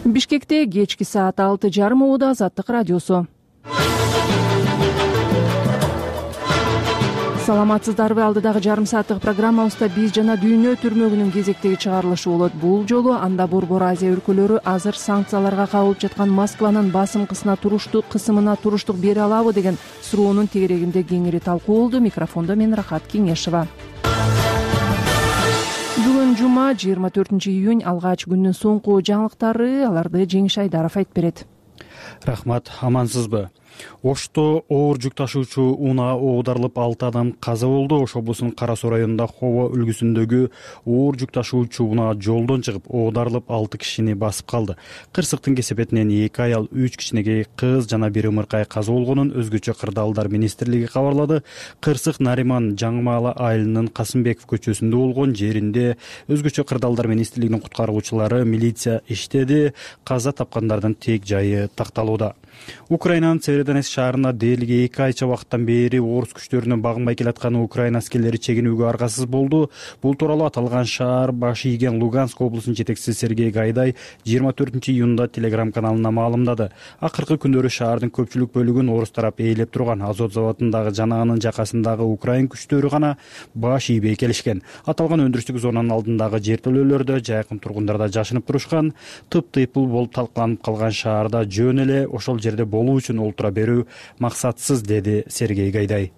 Бишкекте кечки саат 6:30 убада Азаттык радиосу. Саламатсыздарбы? Алдыдагы жарым сааттык программабызда биз жана дүйнө түрмөгүнүн кезектеги чыгарылышы болот. Бул жолу анда Борбор Азия өлкөлөрү азыр санкцияларга кабылып жаткан Москванын басым кысымына туруштук бере алабы деген суроонун тегерегинде кеңири талкуу болду. Микрофондо мен Рахат Кеңешова. Бүгүн жума 24-июнь, алгач күндүн соңку жаңылыктары, аларды Жеңиш Айдаров айтып берет. Рахмат, амансызбы? Ошто оор жүк ташуучу унаа оодарылып 6 адам каза болду. Ош облусунун Кара Суу районунда Хово үлгүсүндөгү оор жүк ташуучу унаа жолдон чыгып оодарылып 6 кишини басып калды. Кырсыктын кесепетинен 2 аял, 3 кичинекей кыз жана 1 ымыркай каза болгонун өзгөчө кырдаалдар министрлиги кабарлады. Кырсык Нариман Жаңымаала айылынын Касымбеков көчөсүндө болгон жеринде өзгөчө кырдаалдар министрлигинин куткаруучулары, милиция иштеди. Каза тапкандардын тек жайы такталууда. Украинанын Северодонецк шаарында дээрлик 2 айча убакыттан бери орус күчтөрүнө багынбай келаткан Украина аскерлери чегинүүгө аргасыз болду. Бул тууралуу аталган шаар баш ийген Луганск облусунун жетекчиси Сергей Гайдай 24-июнда Telegram каналына маалымдады. Акыркы күндөрү шаардын көпчүлүк бөлүгүн орус тарап ээлеп турган Азот заводундагы жана анын жакасындагы украин күчтөрү гана баш ийбей келишкен. Аталган өндүрүштүк зонанын алдындагы жертөлөлөрдө жайкын тургундар да жашынып турушкан. Тыптыйпыл болуп талкаланып калган шаарда жөн эле ошол жерде болуу үчүн олтура берүү максатсыз, деди Сергей Гайдай.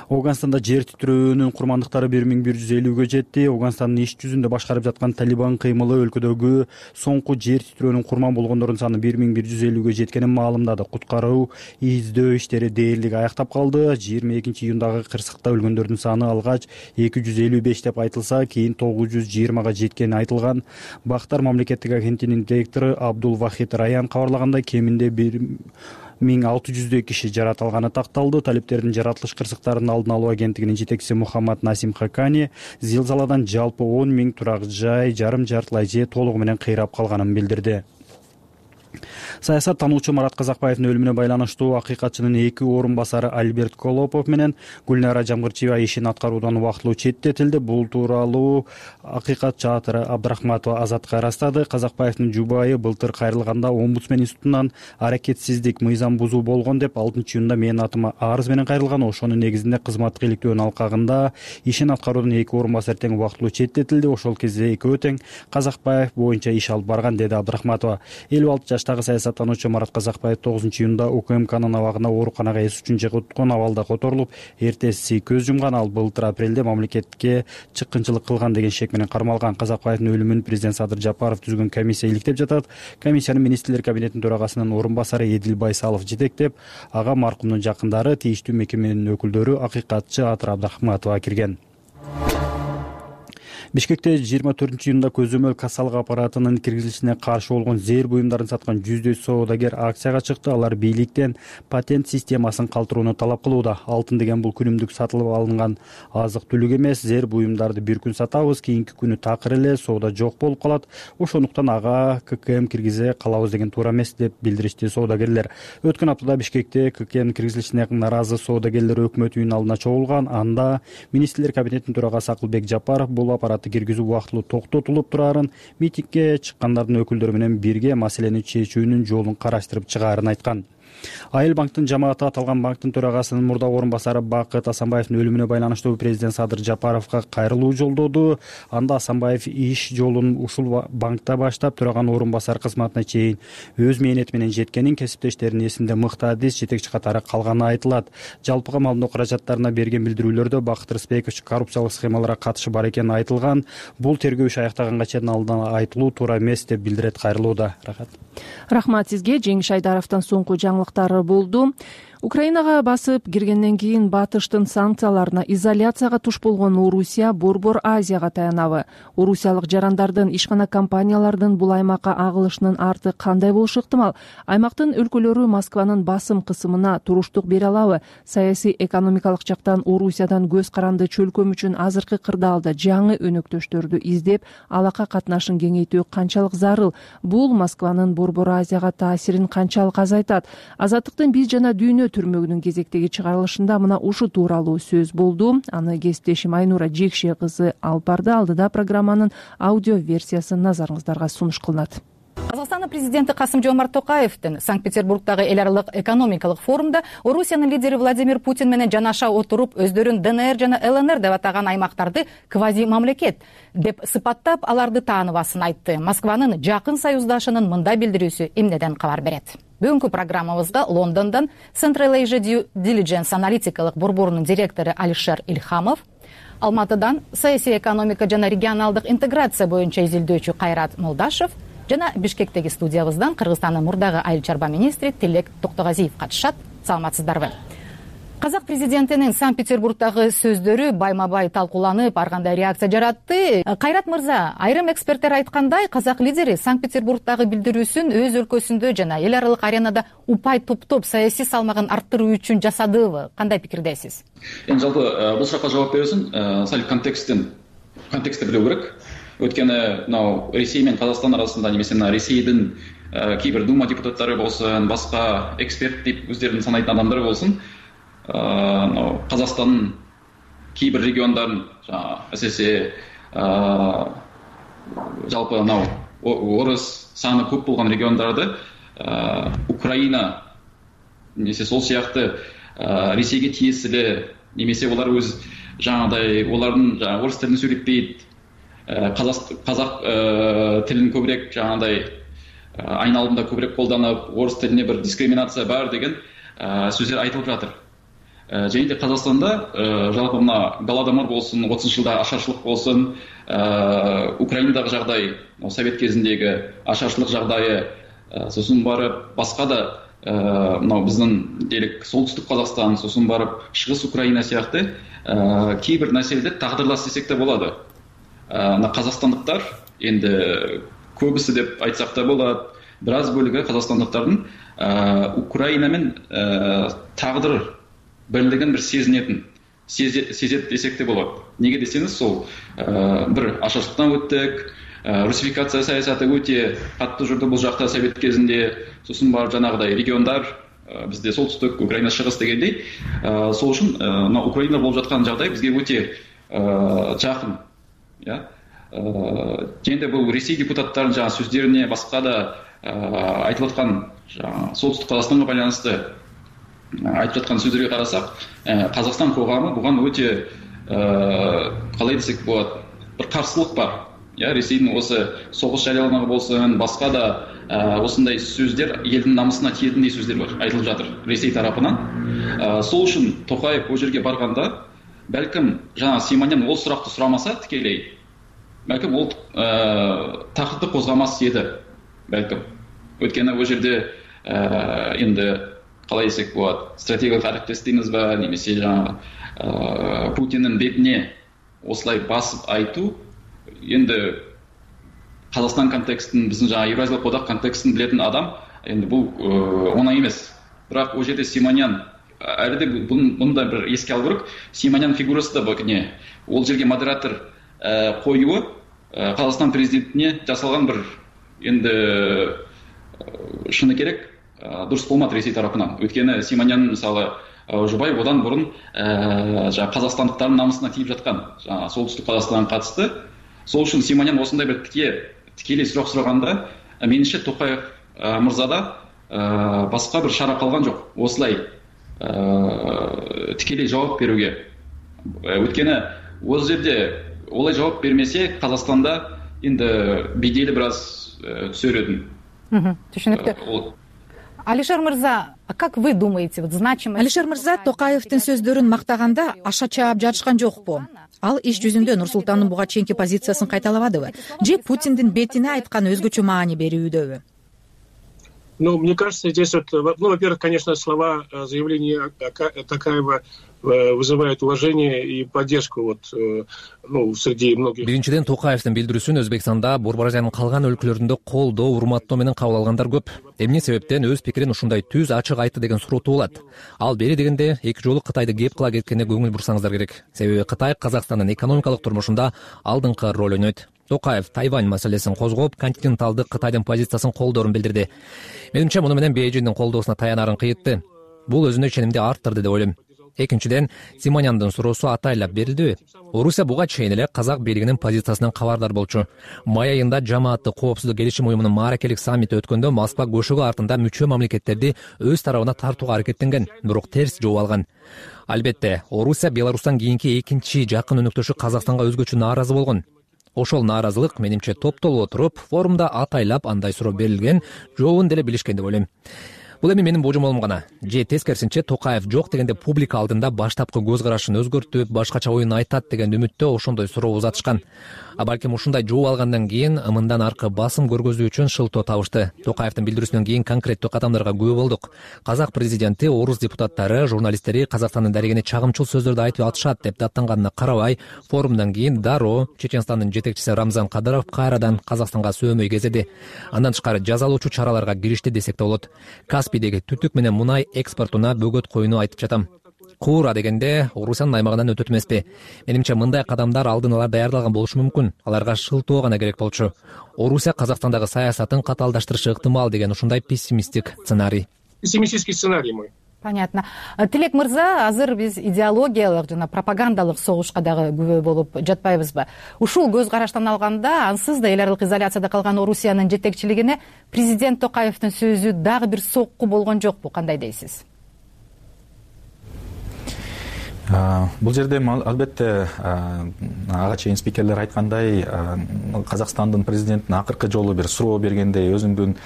Афганстанда жер титирөөнүн курмандыктары 1150-гө жетти. Афганстандын иш жүзүндө башкарып жаткан Талибан кыймылы өлкөдөгү соңку жер титирөөнүн курман болгондордун саны 1150-гө жеткенин маалымдады. Куткаруу издөө иштери дээрлик аяктап калды. 22-июндагы кырсыкта өлгөндөрдүн саны алгач 255 деп айтылса, кийин 920га жеткени айтылган. Бактар мамлекеттик агенттигинин директору Абдул Вахид Раян кабарлагандай, кеминде 1600 киши жаратылганы такталды. Талиптердин жаратылыш кырсыктарынын алдын алуу агенттигинин жетекчиси Мухаммад Насим Хакани зилзаладан жалпы 10 000 турак жай жарым-жартылай же толугу менен кыйрап калганын билдирди. Саясат тануучу Марат Казакбаевдин өлүмүнө байланыштуу акыйкатчынын 2 орун басары Альберт Колопов менен Гүлнара Жамгырчиева ишин аткаруудан убактылуу четтетилди. Бул тууралуу акыйкатчы Атыры Абдрахматова Азатка ырастады. Казакбаевдин жубайы былтыр кайрылганда омбудсмен институтунан аракетсиздик, мыйзам бузуу болгон деп 6-июнда менин атыма арыз менен кайрылган. Ошонун негизинде кызматтык иликтөөнүн алкагында ишин аткаруудан 2 орун басар тең убактылуу четтетилди. Ошол кезде экөө тең Казакбаев боюнча иш алып барган, деди Абдрахматова. 56 жаштагы саясаттануучу Марат Казакбаев 9-июнда УКМКнын абагында ооруканага эс үчүн жыгыткан абалда которулуп, эртеси көз жумган. Ал былтыр апрелде мамлекетке чыккынчылык кылган деген шек менен кармалган. Казакбаевдин өлүмүн президент Садыр Жапаров түзгөн комиссия иликтеп жатат. Комиссияны министрлер кабинетинин төрагасынын орун басары Эдил Байсалов жетектеп, ага маркумдун жакындары, тийиштүү мекеменин өкүлдөрү, акыйкатчы Атыр Абдрахматова кирген. Бишкекте 24-июнда көзөмөл кассалык аппаратынын киргизилишине каршы болгон зээр буюмдарын саткан 100дөй соодагер акцияга чыкты. Алар бийликтен патент системасын калтырууну талап кылууда. Алтын деген бул күнүмдүк сатылып алынган азык-түлүк эмес. Зээр буюмдарды бир күн сатабыз, кийинки күнү такыр эле соода жок болуп калат. Ошондуктан ага ККМ киргизе калабыз деген туура эмес, деп билдиришти соодагерлер. Өткөн аптада Бишкекте ККМ киргизилишине наразы соодагерлер өкмөт үйүнүн алдына чогулган. Анда министрлер кабинетинин төрагасы Акылбек Жапаров бул аппаратты киргизүү убактылуу токтотулуп турарын, митингге чыккандардын өкүлдөрү менен бирге маселени чечүүнүн жолун караштырып чыгаарын айткан. Айыл банктын жамааты аталган банктын төрагасынын мурдагы орун басары Бакыт Асанбаевдин өлүмүнө байланыштуу президент Садыр Жапаровго кайрылуу жолдоду. Анда Асанбаев иш жолун ушул банкта баштап, төраганын орун басары кызматына чейин өз мээнети менен жеткенин, кесиптештеринин эсинде мыкты адис, жетекчи катары калганы айтылат. Жалпыга маалымдоо каражаттарына берген билдирүүлөрдө Бакыт Рысбекович коррупциялык схемаларга катышы бар экени айтылган. Бул тергөө иши аяктаганга чейин алдан айтылуу туура эмес, деп билдирет кайрылууда. Рахмат сизге. Жеңиш Айдаровдон соңку жаңылыктары болду. Украинага басып киргенден кийин Батыштын санкцияларына, изоляцияга туш болгон Орусия Борбор Азияга таянабы? Орусиялык жарандардын, ишкана компаниялардын бул аймакка агылышынын арты кандай болушу ыктымал? Аймактын өлкөлөрү Москванын басым кысымына туруштук бере алабы? Саясий экономикалык жактан Орусиядан көз каранды чөлкөм үчүн азыркы кырдаалда жаңы өнөктөштөрдү издеп, алака катнашын кеңейтүү канчалык зарыл? Бул Москванын Борбор Азияга таасирин канчалык азайтат? Азаттыктын биз жана дүйнө түрмөгүнүн кезектеги чыгарылышында мына ушу тууралуу сөз болду. Аны кесиптешим Айнура Жекше кызы алып барды. Алдыда программанын аудио версиясы назарыңыздарга сунуш кылынат. Казакстандын президенти Касым-Жомарт Токаевдин Санкт-Петербургдагы эл аралык экономикалык форумда Орусиянын лидери Владимир Путин менен жанаша отуруп, өздөрүн ДНР жана ЛНР деп атаган аймактарды квази мамлекет деп сыпаттап, аларды тааныбасын айтты. Москванын жакын союздашынын мындай билдирүүсү эмнеден кабар берет? Бүгүнкү программабызга Лондондон Central Asia Due Diligence аналитикалык борборунун директору Алишер Ильхамов, Алматыдан саясий экономика жана регионалдык интеграция боюнча изилдөөчү Кайрат Молдашев жана Бишкектеги студиябыздан Кыргызстандын мурдагы айыл чарба министри Тилек Токтогазиев катышат. Саламатсыздарбы? Казак президентинин Санкт-Петербургдагы сөздөрү байма-бай талкууланып, ар кандай реакция жаратты. Кайрат мырза, айрым эксперттер айткандай, казак лидери Санкт-Петербургдагы билдирүүсүн өз өлкөсүндө жана эл аралык аренада упай топтоп саясий салмагын арттыруу үчүн жасадыбы? Кандай пикирдесиз? Эми жалпы бул суракка жооп берүү үчүн сал контекстти билүү керек. Өткені мынау Ресей мен Қазақстан арасында, немесе Ресейдің кейбір дума депутаттары болсын, басқа эксперт деп өздерін санайтын адамдары болсын, Қазақстанның кейбір региондарын, әсіресе жалпы орыс саны көп болған региондарды Украина немесе сол сияқты Ресейге тиесілі, немесе олар өз жаңағыдай олардың орыс тілін сөйлетпейді, қазақ тілін көбірек жаңағыдай айналымда көбірек қолданып, орыс тіліне бір дискриминация бар деген сөздер айтылып жатыр. Және де Қазақстанда жалпы мына Голодомор болсын, 30 жылда ашаршылық болсын, Украинадағы жағдай, совет кезіндегі ашаршылық жағдайы, сосын барып басқа да мынау біздің делік солтүстік Қазақстан, сосын барып шығыс Украина сияқты кейбір нәрселер тағдырлас десек те болады. Қазақстандықтар енді көбісі деп айтсақ та болады, біраз бөлігі қазақстандықтардың Украинамен тағдыр бірлігін бір сезет десек те болады. Неге десеңіз, сол бір ашаршылықтан өттік, русификация саясаты өте қатты жүрді бұл жақта совет кезінде, сосын бар жаңағыдай региондар, бізде солтүстік, Украина шығыс дегендей. Сол үшін Украина болып жатқан жағдай бізге өте жақын. Енді бұл Ресей депутаттарын жаңа сөздеріне, басқа да айтылып жатқан солтүстік Қазақстанға байланысты айтып жатқан сөздерге қарасақ, Қазақстан қоғамы бұған өте қалай десек болады, бір қарсылық бар. Ресейдің осы соғыс жарияланығы болсын, басқа да осындай сөздер елдің намысына тиетіндей сөздер бар, айтылып жатыр Ресей тарапынан. Сол үшін Тоқаев ол жерге барғанда, бәлкім жаңа Симонян ол сұрақты сұрамаса тікелей, бәлкім ол тақырыпты қозғамас еді, бәлкім. Өйткені ол жерде енді қалай десек болады, стратегиялық әріптес дейміз бе, немесе жаңағы Путиннің бетіне осылай басып айту, енді Қазақстан контекстін, біздің жаңа Евразиялық одақ контекстін білетін адам, енді бұл оңай емес. Бірақ ол жерде Симонян әлі де бұнда бір еске алу керек. Симонян фигурасы да бөкіне. Ол жерге модератор қоюы Қазақстан президентіне жасалған бір енді шыны керек дұрыс болмады Ресей тарапынан. Өйткені Симонян мысалы жұбай одан бұрын қазақстандықтардың намысына тиіп жатқан солтүстік Қазақстанға қатысты. Сол үшін Симонян осындай бір тікелей сұрақ сұрағанда, меніңше Тоқаев мырзада басқа бір шара қалған жоқ. Осылай тікелей жауап беруге. Өйткені осы жерде олай жауап бермесе, Қазақстанда енді беделі біраз түсер еді. Түшінікті. Алишер мырза, как вы думаете, значимость? Алишер мырза Токаевдин сөздөрүн мактаганда аша чаап жатышкан жокпу? Ал иш жүзүндө Нурсултандын буга чейинки позициясын кайталабадыбы? Же Путиндин бетине айткан өзгөчө маани берүүдөбү? Мне кажется, здесь во-первых, конечно, слова заявления Токаева вызывают уважение и поддержку среди многих. Биринчиден Токаевдин билдирүүсүн Өзбекстанда, Борбор Азиянын калган өлкөлөрүндө колдоо, урматтоо менен кабыл алгандар көп. Эмне себептен өз пикирин ушундай түз, ачык айтты деген суроо туулат. Ал бери дегенде эки жолу Кытайды кеп кыла кеткенине көңүл бурсаңыздар керек. Себеби Кытай Казакстандын экономикалык турмушунда алдыңкы роль ойнойт. Токаев Тайвань маселесин козгоп, континенталдык Кытайдын позициясын колдоорун билдирди. Менимче, муну менен Бейжиңдин колдоосуна таянарын кыйытты. бул өзүнө ишенимди арттырды деп ойлойм. Экинчиден, Симоняндын суроосу атайлап берилдиби? Орусия буга чейин эле казак бийлигинин позициясынан кабардар болчу. Май айында жамааттык коопсуздук келишим уюмунун мааракелик саммити өткөндө Москва көшөгө артында мүчө мамлекеттерди өз тарабына тартууга аракеттенген, бирок терс жооп алган. Албетте, Орусия Беларустан кийинки экинчи жакын өнөктөшү Казакстанга өзгөчө нааразы болгон. Ошол нааразылык менимче топтолуп отуруп, форумда атайлап андай суроо берилген, жообун деле билишкен деп ойлойм. Бул эми менин божомолум гана. Же тескерисинче Токаев жок дегенде публика алдында баштапкы көз карашын өзгөртүп, башкача оюн айтат деген үмүттө ошондой суроо узатышкан. А балким ушундай жооп алгандан кийин мындан аркы басым көргөзүү үчүн шылтоо табышты. Токаевдин билдирүүсүнөн кийин конкреттүү кадамдарга күбө болдук. Казак президенти, орус депутаттары, журналисттери Казакстандын дарегине чагымчыл сөздөрдү айтып атышат деп даттанганына карабай, форумдан кийин дароо Чеченстандын жетекчиси Рамзан Кадыров кайрадан Казакстанга сөөмөй кезеди. Андан тышкары жазалоочу чараларга киришти десек да болот. Каспийдеги түтүк менен мунай экспортуна бөгөт коюуну айтып жатам. Куура дегенде Орусиянын аймагынан өтөт эмеспи? Менимче мындай кадамдар алдын ала даярдалган болушу мүмкүн. Аларга шылтоо гана керек болчу. Орусия Казакстандагы саясатын катаалдаштырышы ыктымал деген ушундай пессимисттик сценарий. Пессимистический сценарий мой. Понятно. Тилек мырза, азыр биз идеологиялык жана пропагандалык согушка дагы күбө болуп жатпайбызбы? Ушул көз караштан алганда, ансыз да эл аралык изоляцияда калган Орусиянын жетекчилигине президент Токаевдин сөзү дагы бир сокку болгон жокпу? Кандай дейсиз? Бул жерде албетте ага чейин спикерлер айткандай, Казакстандын президентине акыркы жолу бир суроо бергендей, өзүңдүн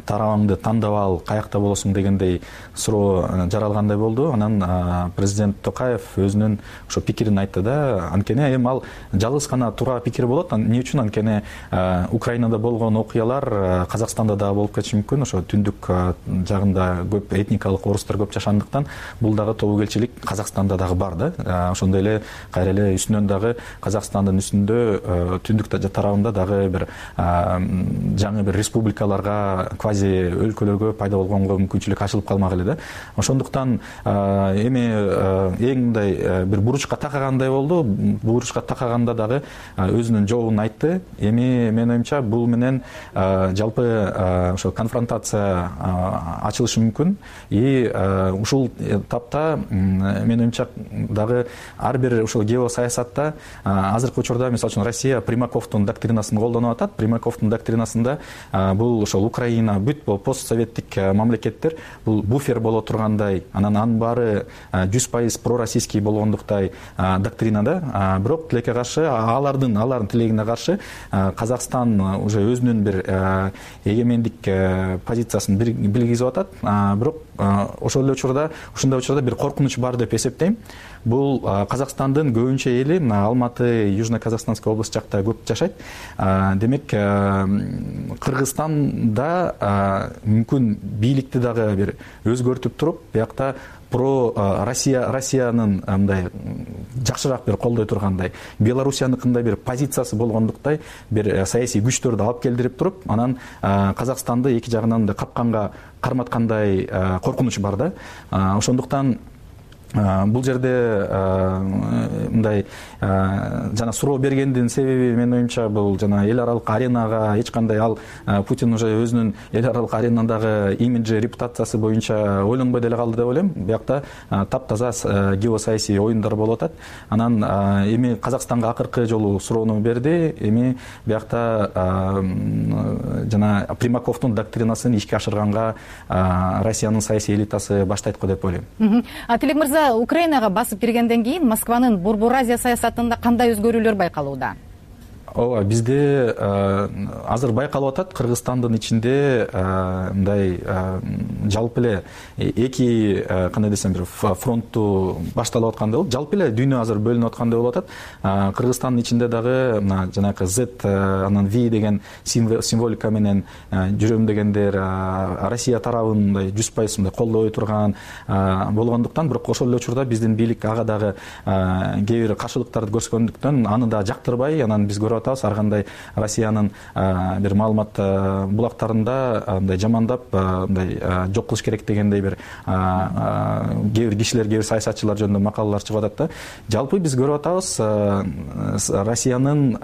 тарабыңды тандап ал, каякта болосуң дегендей суроо жаралгандай болду. Анан президент Токаев өзүнүн ошо пикирин айтты да. Анткени эми ал жалгыз гана туура пикир болот. Эмне үчүн? Анткени Украинада болгон окуялар Казакстанда дагы болуп кетиши мүмкүн. Ошо түндүк жагында көп этникалык орустар көп жашандыктан бул дагы тобокелчилик Казакстанда бар да. Ошондой эле кайра эле үстүнөн дагы Казакстандын үстүндө түндүк тарабында дагы бир жаңы бир республикаларга, квази өлкөлөргө пайда болгонго мүмкүнчүлүк ачылып калмак эле да. Ошондуктан эми эң мындай бир буручка такагандай болду. Буручка такаганда дагы өзүнүн жообун айтты. Эми менин оюмча бул менен жалпы ошо конфронтация ачылышы мүмкүн. И ушул тапта менин оюмча дагы ар бир ушул геосаясатта азыркы учурда мисалы үчүн Россия Примаковдун доктринасын колдонуп атат. Примаковдун доктринасында бул ошол Украина бүт постсоветтик мамлекеттер бул буфер боло тургандай, анын баары 100% пророссийский болгондуктай доктринада. Бирок тилекке каршы алардын тилегине каршы Казакстан уже өзүнүн бир эгемендик позициясын билгизип атат. Бирок ошол эле учурда, ушундай учурда бир коркунуч бар деп эсептейм. Бул Казакстандын көбүнчө эли Алматы, Южно-Казахстанская область жакта көп жашайт. Демек, Кыргызстанда мүмкүн бийликти дагы бир өзгөртүп туруп, биякта Россиянын мындай жакшыраак бир колдой тургандай, Белоруссияныкындай бир позициясы болгондуктай бир саясий күчтөрдү алып келдирип туруп, анан Казакстанды эки жагынан да капканга карматкандай коркунуч бар да. Ошондуктан бул жерде мындай жана суроо бергендин себеби менин оюмча бул жана эл аралык аренага эч кандай ал Путин уже өзүнүн эл аралык аренадагы имиджи, репутациясы боюнча ойлонбой деле калды деп ойлойм. Биякта таптаза геосаясий оюндар болуп атат. Анан эми Казакстанга акыркы жолу суроону берди. Эми биякта жана Примаковдун доктринасын ишке ашырганга Россиянын саясий элитасы баштайт го деп ойлойм. Тилек мырза, Украинага басып киргенден кийин Москванын Борбор Азия саясатында кандай өзгөрүүлөр байкалууда? Ооба, бизде азыр байкалып атат. Кыргызстандын ичинде мындай жалпы эле эки кандай десем бир фронтту башталып аткандай болот. Жалпы эле дүйнө азыр бөлүнүп аткандай болуп атат. Кыргызстандын ичинде дагы мына жанагы Z, анан V деген символика менен жүрөм дегендер Россия тарабын мындай 100% мындай колдой турган болгондуктан, бирок ошол эле учурда биздин бийлик ага дагы кээ бир каршылыктарды көрсөткөндүктөн аны да жактырбай, анан биз көрүп көрүп атабыз. Ар кандай Россиянын бир маалымат булактарында мындай жамандап мындай жок кылыш керек дегендей бир кээ бир кишилер, кээ бир саясатчылар жөнүндө макалалар чыгып атат да. Жалпы биз көрүп атабыз Россиянын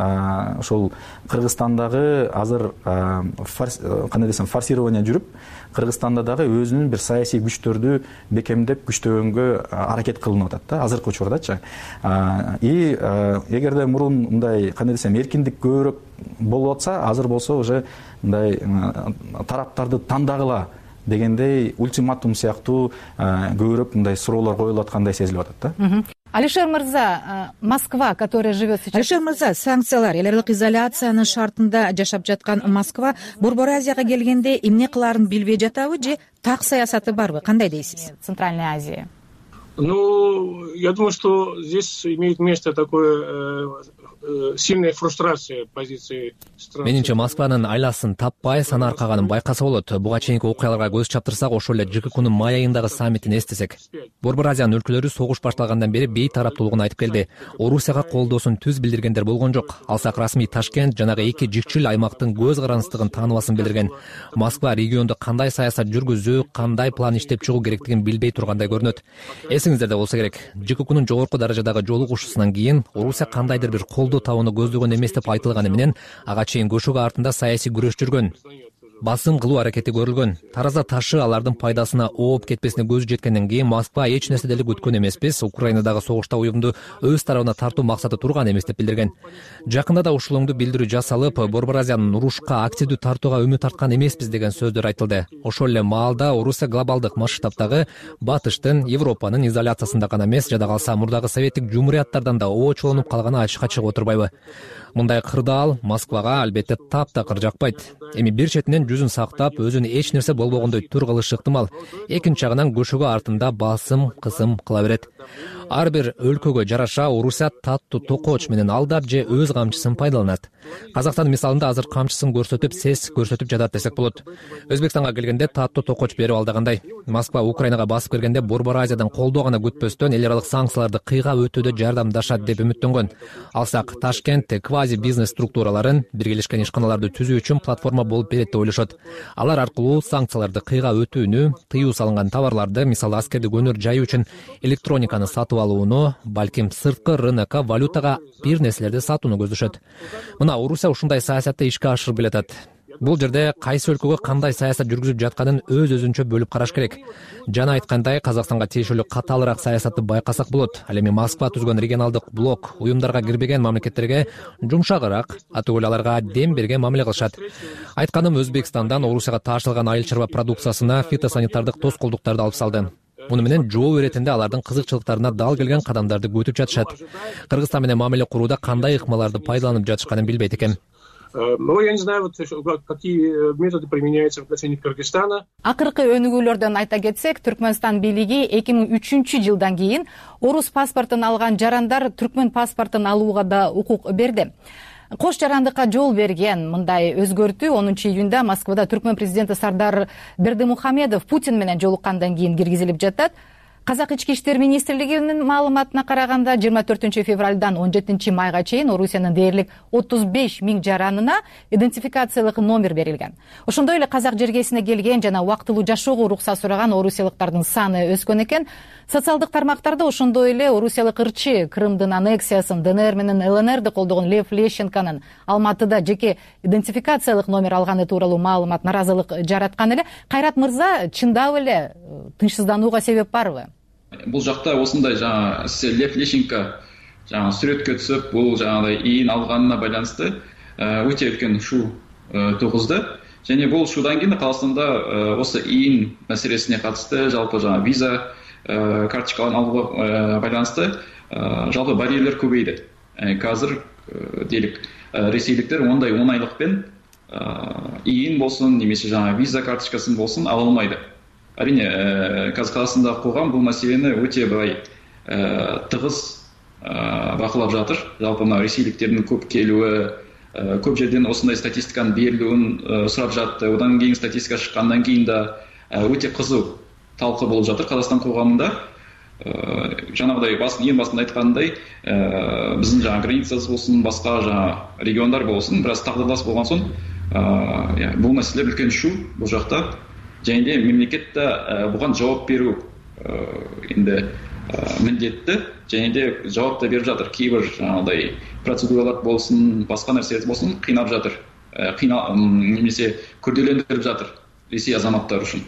ошол Кыргызстандагы азыр кандай десем форсирование жүрүп, Кыргызстанда дагы өзүнүн бир саясий күчтөрдү бекемдеп күчтөгөнгө аракет кылынып атат да азыркы учурдачы. И эгерде мурун мындай кандай десем эркиндик көбүрөөк болуп атса, азыр болсо уже мындай тараптарды тандагыла дегендей ультиматум сыяктуу көбүрөөк мындай суроолор коюлуп аткандай сезилип атат да. Алишер мырза, Москва, которая живет сейчас... Алишер мырза, санкциялар, эл аралык изоляциянын шартында жашап жаткан Москва Борбор Азияга келгенде эмне кылаарын билбей жатабы же так саясаты барбы? Кандай дейсиз? Центральная Азия. Я думаю, что здесь имеет место такое сильная фрустрация позиции стран. Менимче Москванын айласын таппай санаркаганын байкаса болот. Буга чейинки окуяларга көз чаптырсак, ошол эле ЖККнун май айындагы саммитин эстесек, Борбор Азиянын өлкөлөрү согуш башталгандан бери бейтараптуулугун айтып келди. Орусияга колдоосун түз билдиргендер болгон жок. Алсак расмий Ташкент жанагы эки жикчил аймактын көз карандыстыгын тааныбасын билдирген. Москва региондо кандай саясат жүргүзүү, кандай план иштеп чыгуу керектигин билбей тургандай көрүнөт. Эсиңиздерде болсо керек, ЖККнун жогорку даражадагы жолугушуусунан кийин Орусия кандайдыр бир колдоо табууну көздөгөн эмес деп айтылганы менен ага чейин көшөгө артында саясий күрөш жүргөн. Басым кылуу аракети көрүлгөн. Тараза ташы алардын пайдасына ооп кетпесине көзү жеткенден кийин Москва эч нерсе деле күткөн эмеспиз. Украинадагы согушта уюмду өз тарабына тартуу максаты турган эмес деп билдирген. Жакында да ушулуңду билдирүү жасалып, Борбор Азиянын урушка активдүү тартууга үмүт арткан эмеспиз деген сөздөр айтылды. Ошол эле маалда Орусия глобалдык масштабтагы Батыштын, Европанын изоляциясында гана эмес, жада калса мурдагы советтик жумурияттардан да оочолонуп калганы ачыкка чыгып отурбайбы? Мындай кырдаал Москвага албетте таптакыр жакпайт. Эми бир четинен жүзүн сактап, өзүн эч нерсе болбогондой тур кылышы ыктымал. Экинчи жагынан көшөгө артында басым, кысым кыла берет. Ар бир өлкөгө жараша Орусия таттуу токоч менен алдап же өз камчысын пайдаланат. Казакстан мисалында азыр камчысын көрсөтүп, сес көрсөтүп жатат десек болот. Өзбекстанга келгенде таттуу токоч берип алдагандай. Москва Украинага басып киргенде Борбор Азиядан колдоо гана күтпөстөн эл аралык санкцияларды кыйгап өтүүдө жардамдашат деп үмүттөнгөн. Алсак Ташкент квази бизнес структураларын, биргелешкен ишканаларды түзүү үчүн платформа болуп берет деп ойлошот. Алар аркылуу санкцияларды кыйгап өтүүнү, тыюу салынган товарларды, мисалы аскердик өнөр жайуу үчүн электрониканы сатып алууну, балким сырткы рынокко валютага бир нерселерди сатууну көздөшөт. Мына Орусия ушундай саясатты ишке ашырып келатат. Бул жерде кайсы өлкөгө кандай саясат жүргүзүп жатканын өз-өзүнчө бөлүп караш керек. Жана айткандай, Казакстанга тиешелүү катаалыраак саясатты байкасак болот. Ал эми Москва түзгөн регионалдык блок уюмдарга кирбеген мамлекеттерге жумшагыраак, атөгөл аларга дем берген мамиле кылышат. Айтканым, Өзбекстандан Орусияга таашылган айыл чарба продукциясына фитосанитардык тоскоолдуктарды алып салды. Муну менен жоо иретинде алардын кызыкчылыктарына дал келген кадамдарды күтүп жатышат. Кыргызстан менен мамиле курууда кандай ыкмаларды пайдаланып жатышканын билбейт экен. Я не знаю, какие методы применяются в отношении Кыргызстана. Акыркы өнүгүүлөрдөн айта кетсек, Түркмөнстан бийлиги 2003-жылдан кийин орус паспортун алган жарандар түркмөн паспортун алууга да укук берди. Кош жарандыкка жол берген мындай өзгөртүү 10-июнда Москвада түркмөн президенти Сардар Бердымухамедов Путин менен жолуккандан кийин киргизилип жатат. Казак ички иштер министрлигинин маалыматына караганда 24-февралдан 17-майга чейин Орусиянын дээрлик 35 000 жаранына идентификациялык номер берилген. Ошондой эле казак жергесине келген жана убактылуу жашоого урукса сураган орусиялыктардын саны өскөн экен. Социалдык тармактарда ошондой эле орусиялык ырчы Крымдын аннексиясын, ДНР менен ЛНРди колдогон Лев Лещенконун Алматыда жеке идентификациялык номер алганы тууралуу маалымат наразылык жараткан эле. Кайрат мырза, чындап эле тынчсызданууга себеп барбы? Бул жакта осындай Лев Лещенко сүрөткө түсүп, бул ийин алганына байланыштуу өтө үлкөн шу тугузду. Және бул шудан кийин Казакстанда осы ийин маселесине катышты, жалпы виза карточкаларын алууга байланыштуу жалпы барьерлер көбөйдү. Азыр дейлик ресейликтер ондай оңайлыкпен ийин болсун, немесе виза карточкасын болсун ала алмайды. Әрине, Казакстанда кылган бул маселени өтө тыгыз бакылап жатыр. Жалпы ресейликтердин көп келүүі, көп жерден осындай статистиканын берилүүн сурап жатты. Одан кийин статистика чыккандан кийин да өтө кызуу талкуу болуп жатыр Казакстан коғамында. жанагыдай эң башында айткандай биздин жаңы границабыз болсун, башка жаңы региондар болсун бир аз тагдырлас болгон соң бул маселелер үлкен шу бул жакта. Және де мемлекет да буга жооп берүү энди міндетті, және де жауап да беріп жатыр. Кейбір жаңағыдай процедуралар болсын, басқа нәрселер болсын қинап жатыр, немесе күрделендіріп жатыр Ресей азаматтары үшін.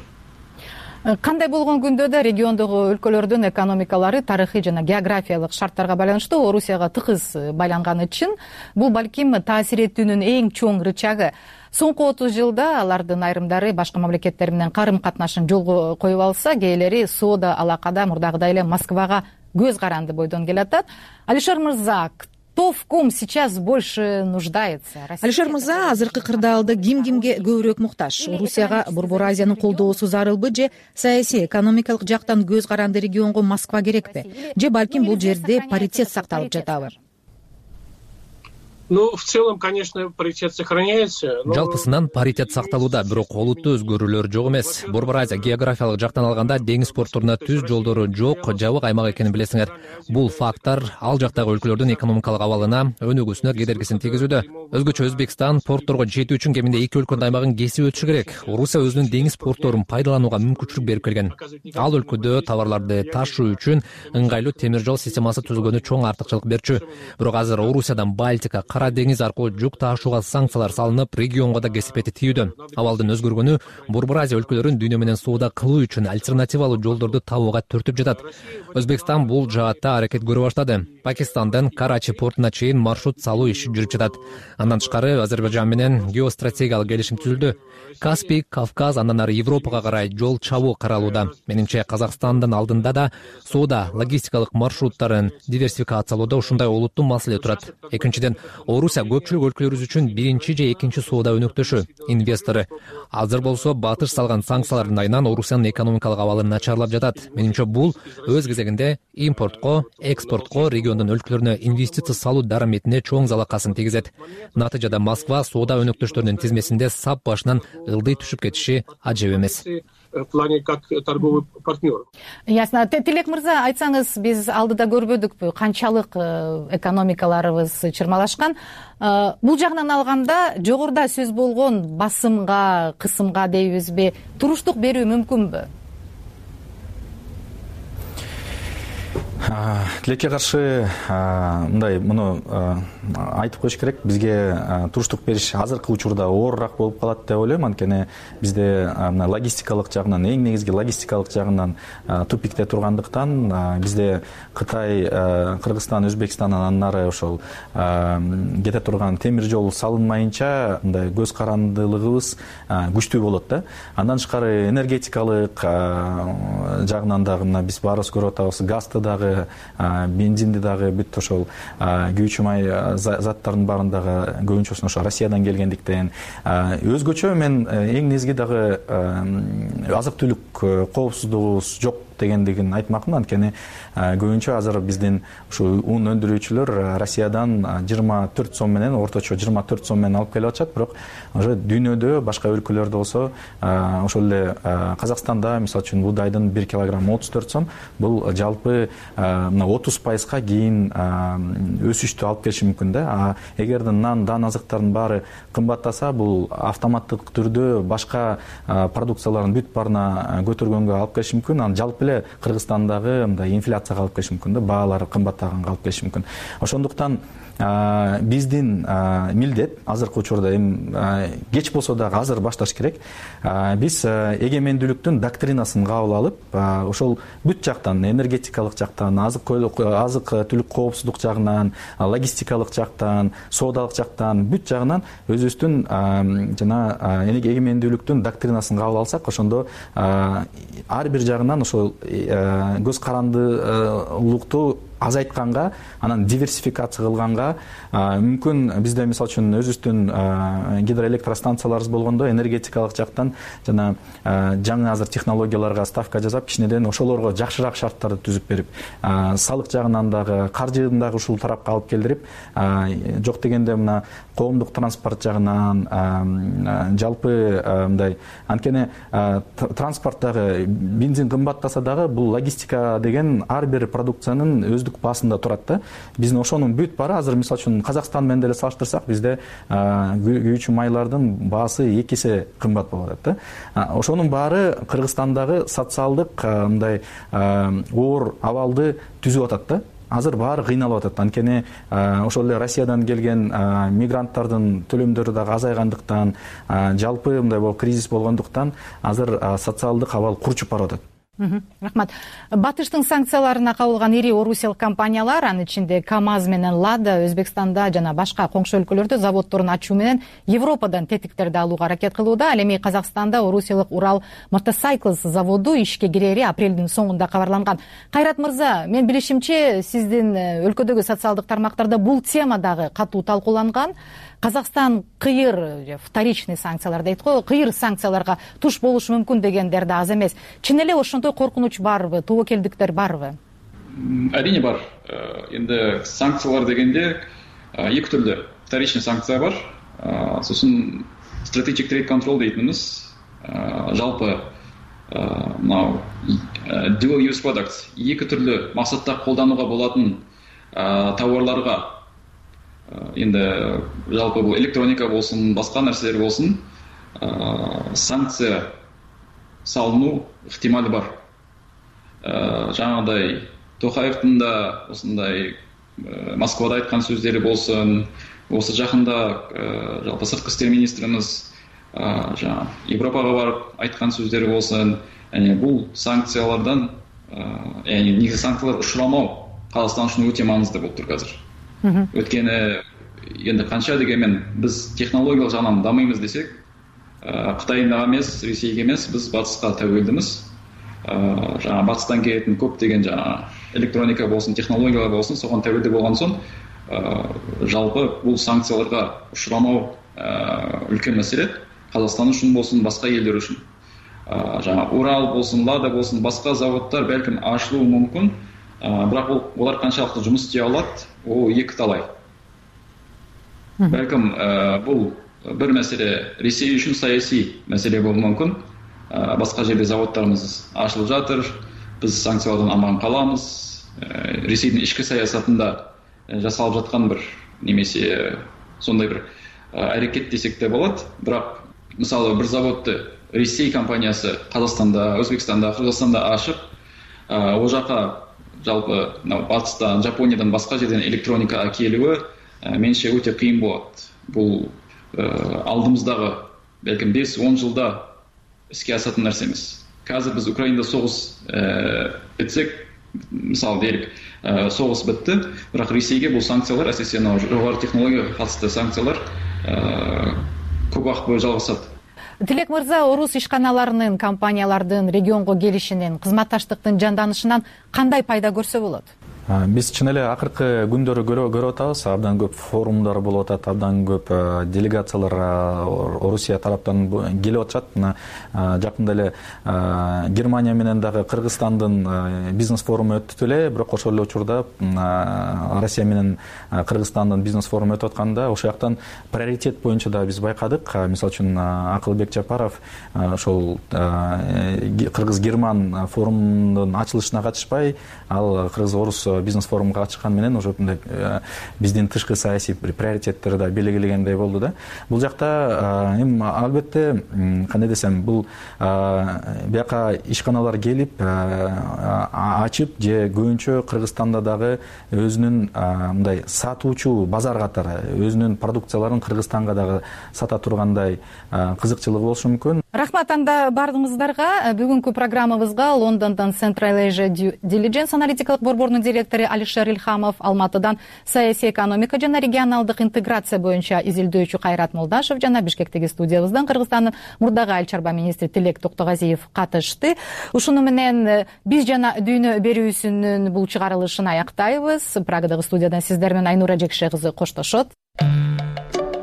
Кандай болгон күндө да региондогу өлкөлөрдүн экономикалары тарыхый жана географиялык шарттарга байланыштуу Орусияга тыгыз байланганы үчүн бул балким таасир этүүнүн эң чоң рычагы. Соңку 30 жылда алардын айрымдары башка мамлекеттер менен карым катнашын жолго коюп алса, кээделери соода алакада мурдагыдай эле Москвага көз каранды бойдон келатат. Алишер мырза, кто в ком сейчас больше нуждается? Алишер мырза, азыркы кырдаалда кимге көбүрөөк муктаж? Орусияга Борбор Азиянын колдоосу зарылбы же саясий экономикалык жактан көз каранды регионго Москва керекпи? Же балким бул жерде паритет сакталып жатабы? Ну, в целом, конечно, паритет сохраняется. Жалпысынан паритет сакталууда, бирок олуттуу өзгөрүүлөр жок эмес. Борбор Азия географиялык жактан алганда деңиз портторуна түз жолдору жок, жабык аймак экенин билесиңер. Бул факттар ал жактагы өлкөлөрдүн экономикалык абалына, өнүгүүсүнө кедергисин тийгизүүдө. Өзгөчө Өзбекстан портторго жетүү үчүн кеминде 2 өлкөнүн аймагын кесип өтүшү керек. Орусия өзүнүн деңиз портторун пайдаланууга мүмкүнчүлүк берип келген. Ал өлкөдө товарларды ташуу үчүн ыңгайлуу темир жол системасы түзүлгөнү чоң артыкчылык берчү. Бирок азыр Орусиядан Балтика, Кара деңиз аркылуу жүк таашууга санкциялар салынып, регионго да кесипети тийүүдө. Абалдын өзгөргөнү Борбор Азия өлкөлөрүн дүйнө менен соода кылуу үчүн альтернативалуу жолдорду табууга түртүп жатат. Өзбекстан бул жаатта аракет көрө баштады. Пакистандан Карачи портуна чейин маршрут салуу иши жүрүп жатат. Андан тышкары Азербайжан менен геостратегиялык келишим түзүлдү. Каспий, Кавказ, андан ары Европага карай жол чабуу каралууда. Менимче Казакстандын алдында да соода логистикалык маршруттарын диверсификациялоодо ушундай олуттуу маселе турат. Экинчиден, Орусия көпчүлүк өлкөлөрүбүз үчүн биринчи же экинчи соода өнөктөшү, инвестору. Азыр болсо батыш салган санкциялардын айынан Орусиянын экономикалык абалы начарлап жатат. Менимче бул өз кезегинде импортко, экспортко, региондун өлкөлөрүнө инвестиция салуу дараметине чоң залакасын тийгизет. Натыйжада Москва соода өнөктөштөрүнүн тизмесинде сап башынан ылдый түшүп кетиши ажеп эмес. В плане как торговый партнер. Ясно. Тилек мырза, айтсаңыз, биз алдыда көрбөдүкпү канчалык экономикаларыбыз чырмалашкан. Бул жагынан алганда жогоруда сөз болгон басымга, кысымга дейбизби, туруштук берүү мүмкүнбү? Тилекке каршы мындай муну айтып коюш керек. Бизге туруштук бериш азыркы учурда оорураак болуп калат деп ойлойм. Анткени бизде логистикалык жагынан, эң негизги логистикалык жагынан тупикте тургандыктан, бизде Кытай, Кыргызстан, Өзбекстан андан ары ошол кете турган темир жол салынмайынча мындай көз карандылыгыбыз күчтүү болот да. Андан тышкары энергетикалык жагынан дагы мына биз баарыбыз көрүп атабыз, газды дагы, бензинди дагы, бүт ошол күйүүчү май заттардын баарындагы көбүнчөсүн ошо Россиядан келгендиктен, өзгөчө мен эң негизги дагы азык түлүк коопсуздугубуз жок дегендигин айтмакмын. Анткени көбүнчө азыр биздин ушу ун өндүрүүчүлөр Россиядан 24 сом менен, орточо 24 сом менен алып келип атышат. Бирок уже дүйнөдө башка өлкөлөрдө болсо, ошол эле Казакстанда мисалы үчүн буудайдын 1 килограмм 34 сом, бул жалпы мына 30% кийин өсүштү алып келиши мүмкүн да. Эгерде нан, дан азыктардын баары кымбаттаса, бул автоматтык түрдө башка продукциялардын бүт баарына көтөргөнгө алып келиши мүмкүн. Анан жалпы эле Кыргызстандагы мындай инфляцияга алып келиши мүмкүн да, баалары кымбаттаганга алып келиши мүмкүн. Ошондуктан биздин милдет азыркы учурда кеч болсо дагы азыр башташ керек. Биз эгемендүүлүктүн доктринасын кабыл алып, ошол бүт жактан, энергетикалык жактан, азык түлүк коопсуздук жагынан, логистикалык жактан, соодалык жактан, бүт жагынан өзүбүздүн жана эгемендүүлүктүн доктринасын кабыл алсак, ошондо ар бир жагынан ошол көз карандылыктуу азайтканга, анан диверсификация кылганга, мүмкүн бизде мисалы үчүн өзүбүздүн гидроэлектростанцияларыбыз болгондо энергетикалык жактан жана жаңы азыр технологияларга ставка жасап, кичинеден ошолорго жакшыраак шарттарды түзүп берип, салык жагынан дагы, каржыны дагы ушул тарапка алып келдирип, жок дегенде мына коомдук транспорт жагынан, жалпы мындай, анткени транспорттагы бензин кымбаттаса дагы бул логистика деген ар бир продукциянын өздүк баасында турат да. Биздин ошонун бүт баары азыр мисалы үчүн Казакстан менен деле салыштырсак, бизде күйүүчү майлардын баасы 2 эсе кымбат болуп атат да. Ошонун баары Кыргызстандагы социалдык мындай оор абалды түзүп атат да. Азыр баары кыйналып атат. Анткени ошол эле Россиядан келген мигранттардын төлөмдөрү дагы азайгандыктан, жалпы мындай кризис болгондуктан азыр социалдык абал курчуп барып атат. Рахмат. Батыштын санкцияларына кабылган ири орусиялык компаниялар, анын ичинде КАМАЗ менен Лада Өзбекстанда жана башка коңшу өлкөлөрдө заводдорун ачуу менен Европадан тетиктерди алууга аракет кылууда. Ал эми Казакстанда орусиялык Урал Мотоcycles заводу ишке кирери апрелдин соңунда кабарланган. Кайрат мырза, мен билишимче, сиздин өлкөдөгү социалдык тармактарда бул тема дагы катуу талкууланган. Казакстан кыйыр, вторичный санкциялар дейт го, кыйыр санкцияларга туш болушу мүмкүн дегендер да аз эмес. Чын эле ошондой коркунуч барбы, тобокелдиктер барбы? Әрине бар. Енді санкциялар дегенде екі түрлі. Вторичный санкция бар, сосын strategic trade control дейтініміз, жалпы dual use products, екі түрлі мақсатта қолдануға болатын тауарларға, енді жалпы бұл электроника болсын, басқа нәрселер болсын, санкция салыну ықтималы бар. Жаңағыдай Тоқаевтың да осындай Москвада айтқан сөздері болсын, осы жақында жалпы сыртқы істер министріміз Европаға барып айтқан сөздері болсын, бұл санкциялардан, негізі санкциялар ұшырамау Қазақстан үшін өте маңызды болып тұр қазір. Өткені енді қанша дегенмен біз технологиялық жағынан дамимыз десек, Қытайға емес, Ресейге емес, біз батысқа тәуелдіміз. Жаңа батыстан келетін көп деген жаңа электроника болсын, технологиялар болсын, соған тәуелді болған соң, жалпы бұл санкцияларға ұшырамау үлкен мәселе. Қазақстан үшін болсын, басқа елдер үшін. Жаңа Урал болсын, Лада болсын, басқа заводтар бәлкім ашылуы мүмкін, бірақ олар қаншалықты жұмыс істей алады, ол екі талай. Бәлкім бұл бір мәселе Ресей үшін саяси мәселе болуы мүмкін. Басқа жерде заводтарымыз ашылып жатыр, біз санкциялардан аман қаламыз. Ресейдің ішкі саясатында жасалып жатқан бір немесе сондай бір әрекет десек те болады. Бірақ мысалы бір заводты Ресей компаниясы Қазақстанда, Өзбекстанда, Қырғызстанда ашып, ол жаққа жалпы батыстан, Жапониядан басқа жерден электроника әкелуі меніңше өте қиын болады. Бұл алдымыздағы бәлкім 5-10 жылда іске асатын нәрсе емес. Қазір біз Украинада соғыс бітсек, мысалы делік, соғыс бітті, бірақ Ресейге бұл санкциялар, әсіресе жоғары технологияға қатысты санкциялар көп уақыт бойы жалғасады. Тилек мырза, орус ишканаларынын, компаниялардын регионго келишинин, кызматташтыктын жанданышынан кандай пайда көрсө болот? Биз чын эле акыркы күндөрү көрүп атабыз, абдан көп форумдар болуп атат, абдан көп делегациялар Орусия тараптан келип атышат. Мына жакында эле Германия менен дагы Кыргызстандын бизнес форуму өттү эле, бирок ошол эле учурда Россия менен Кыргызстандын бизнес форуму өтүп атканда ошол жактан приоритет боюнча да биз байкадык. Мисалы үчүн Акылбек Жапаров ошол Кыргыз-Герман форумунун ачылышына катышпай, ал Кыргыз-Орус бизнес форумга катышкан менен уже биздин тышкы саясий приоритеттери да белгилегендей болду да. Бул жакта эми албетте кандай десем, бул бияка ишканалар келип ачып же көбүнчө Кыргызстанда дагы өзүнүн мындай сатуучу базар катары өзүнүн продукцияларын Кыргызстанга дагы сата тургандай кызыкчылыгы болушу мүмкүн. Рахмат анда бардыгыңыздарга. Бүгүнкү программабызга Лондондон Central Asia Due Diligence аналитикалык борборунун директору директору Алишер Ильхамов, Алматыдан саясий экономика жана регионалдык интеграция боюнча изилдөөчү Кайрат Молдашев жана Бишкектеги студиябыздан Кыргызстандын мурдагы айыл чарба министри Тилек Токтогазиев катышты. Ушуну менен биз жана дүйнө берүүсүнүн бул чыгарылышын аяктайбыз. Прагадагы студиядан сиздер менен Айнура Жекше кызы коштошот.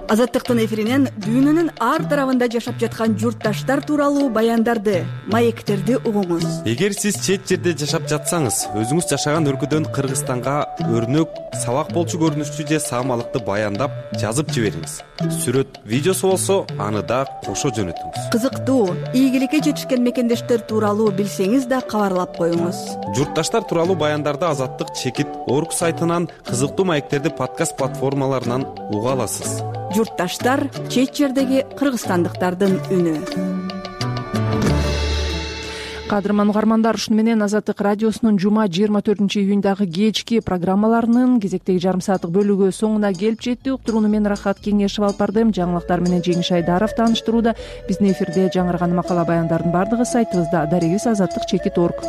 Азаттыктын эфиринен дүйнөнүн ар тарабында жашап жаткан журтташтар тууралуу баяндарды, маектерди угуңуз. Эгер сиз чет жерде жашап жатсаңыз, өзүңүз жашаган өлкөдөн Кыргызстанга өрнөк, сабак болчу көрүнүштүү же саамалыкты баяндап жазып жибериңиз. Сүрөт, видеосу болсо, аны да кошо жөнөтүңүз. Кызыктуу, ийгиликке жетишкен мекендештер тууралуу билсеңиз да кабарлап коюңуз. Журтташтар тууралуу баяндарды Азаттык Чекит.org сайтынан, кызыктуу маектерди подкаст платформаларынан уга аласыз. Журтташтар — чет жердеги кыргызстандыктардын үнү. Кадырман угармандар, ушуну менен Азаттык радиосунун жума 24-июндагы кечки программаларынын кезектеги жарым сааттык бөлүгү соңуна келип жетти. Уктурууну мен Рахат Кеңешев алып бардым. Жаңылыктар менен Жеңиш Айдаров тааныштырууда. Биздин эфирде жаңырган макала баяндардын бардыгы сайтыбызда. Дарегибиз Азаттык Чекит.org.